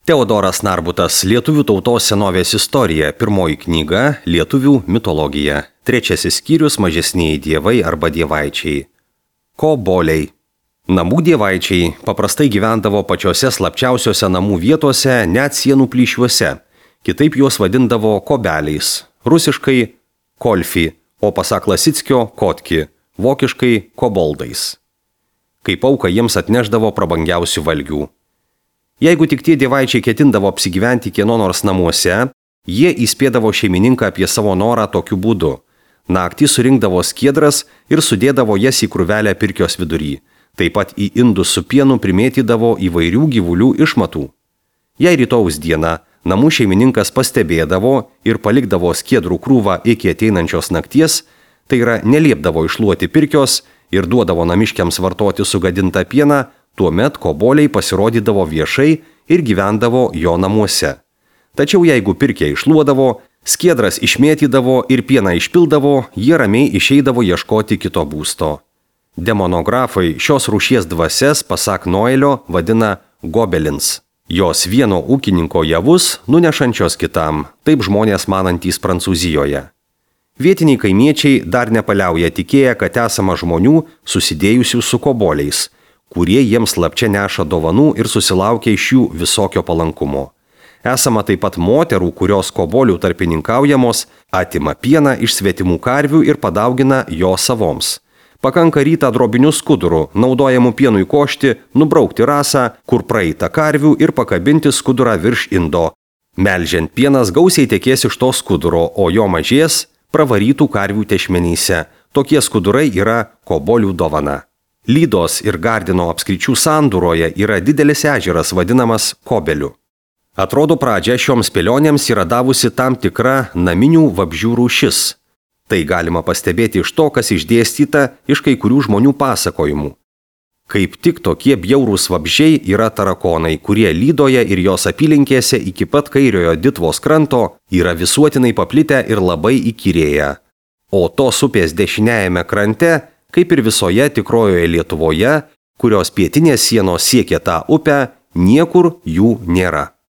Teodoras Narbutas, Lietuvių tautos senovės istorija, pirmoji knyga, Lietuvių mitologija, trečiasis skyrius, mažesnieji dievai arba dievaičiai. Koboliai. Namų dievaičiai paprastai gyvendavo pačiose slapčiausiose namų vietose, net sienų plyšiuose, kitaip juos vadindavo kobeliais, rusiškai kolfi, o pasak Lasickio kotki, vokiškai koboldais. Kaip auką jiems atneždavo prabangiausių valgių. Jeigu tik tie dievaičiai ketindavo apsigyventi kieno nors namuose, jie įspėdavo šeimininką apie savo norą tokiu būdu. Naktį surinkdavo skiedras ir sudėdavo jas į krūvelę pirkios vidury. Taip pat į indus su pienu primėtydavo įvairių gyvulių išmatų. Jei rytojaus dieną namų šeimininkas pastebėdavo ir palikdavo skiedrų krūvą iki ateinančios nakties, tai yra neliepdavo iššluoti pirkios ir duodavo namiškiams vartoti sugadintą pieną, tuomet koboliai pasirodydavo viešai ir gyvendavo jo namuose. Tačiau jeigu pirkę iššluodavo, skiedras išmėtydavo ir pieną išpildavo, jie ramiai išeidavo ieškoti kito būsto. Demonografai šios rūšies dvasias, pasak Noelio, vadina gobelins. Jos vieno ūkininko javus nunešančios kitam, taip žmonės manantys Prancūzijoje. Vietiniai kaimiečiai dar nepaliauja tikėję, kad esama žmonių susidėjusių su koboliais, kurie jiems slapčia neša dovanų ir susilaukia iš jų visokio palankumo. Esama taip pat moterų, kurios kobolių tarpininkaujamos, atima pieną iš svetimų karvių ir padaugina jo savoms. Pakanka rytą drobiniu skuduru, naudojamu pienui košti, nubraukti rasą, kur praeita karvių ir pakabinti skudurą virš indo. Melžiant pienas gausiai tekės iš to skuduro, o jo mažės pravarytų karvių tešmenyse. Tokie skudurai yra kobolių dovana. Lydos ir Gardino apskričių sandūroje yra didelis ežeras vadinamas Kobeliu. Atrodo, pradžią šioms spėlionėms yra davusi tam tikra naminių vabzdžių rūšis. Tai galima pastebėti iš to, kas išdėstyta iš kai kurių žmonių pasakojimų. Kaip tik tokie bjaurūs vabzdžiai yra tarakonai, kurie Lydoje ir jos apylinkėse iki pat kairiojo Ditvos kranto yra visuotinai paplitę ir labai įkyrėję. O tos upės dešiniajame krante, kaip ir visoje tikrojoje Lietuvoje, kurios pietinės sienos siekia tą upę, niekur jų nėra.